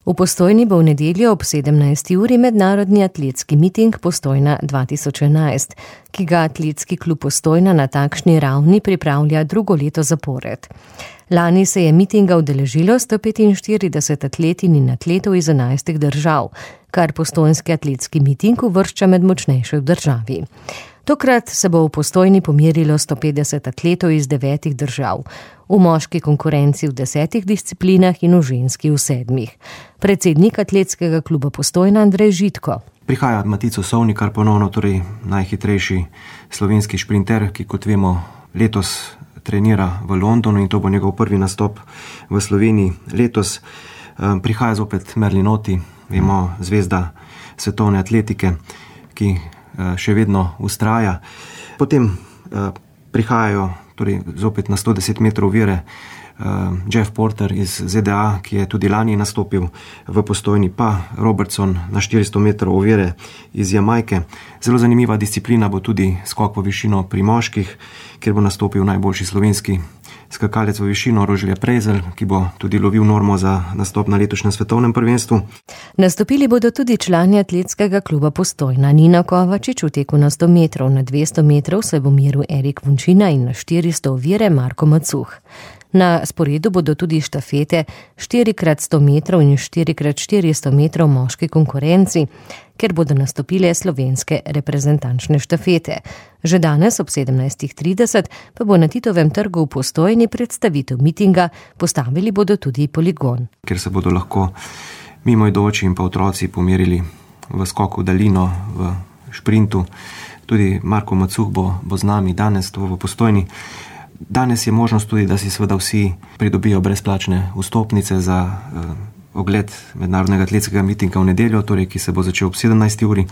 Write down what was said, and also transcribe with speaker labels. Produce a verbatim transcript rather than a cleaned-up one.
Speaker 1: V Postojni bo v nedeljo ob sedemnajsti uri mednarodni atletski miting Postojna dva tisoč enajst, ki ga Atletski klub Postojna na takšni ravni pripravlja drugo leto zapored. Lani se je mitinga udeležilo sto petinštirideset atletinj in atletov iz enajstih držav, kar postojnski atletski miting uvršča med močnejše v državi. Tokrat se bo v Postojni pomerilo sto petdeset atletov iz devetih držav, v moški konkurenci v desetih disciplinah in v ženski v sedmih. Predsednik Atletskega kluba Postojna Andrej Žitko.
Speaker 2: Prihaja Matico Sovnikar ponovno, torej najhitrejši slovenski šprinter, ki kot vemo letos trenira v Londonu in to bo njegov prvi nastop v Sloveniji letos. Prihaja zopet Merlinoti, vemo, zvezda svetovne atletike, ki še vedno vztraja. Potem prihajajo torej zopet na sto deset metrov ovire Jeff Porter iz Z D A, ki je tudi lani nastopil v Postojni, pa Robertson na štiristo metrov ovire iz Jamajke. Zelo zanimiva disciplina bo tudi skok v višino pri moških, kjer bo nastopil najboljši slovenski skakalec v višino Rožle Prezelj, ki bo tudi lovil normo za nastop na letošnjem svetovnem prvenstvu.
Speaker 1: Nastopili bodo tudi člani Atletskega kluba Postojna. Nina Kovačič v teku na sto metrov, na dvesto metrov se bo meril Erik Vunčina in na štiristo ovire Marko Macuh. Na sporedu bodo tudi štafete štiri krat sto metrov in štiri krat štiristo metrov moški konkurenci, ker bodo nastopile slovenske reprezentančne štafete. Že danes ob sedemnajstih trideset pa bo na Titovem trgu v Postojni predstavitev mitinga, postavili bodo tudi poligon.
Speaker 2: Ker se bodo lahko mimoidoči in pa otroci pomerili v skoku v daljino, v šprintu. Tudi Marko Macuh bo, bo z nami danes to v Postojni. Danes je možnost tudi, da si seveda vsi pridobijo brezplačne vstopnice za eh, ogled mednarodnega atletskega mitinga v nedeljo, torej ki se bo začel ob sedemnajsti uri.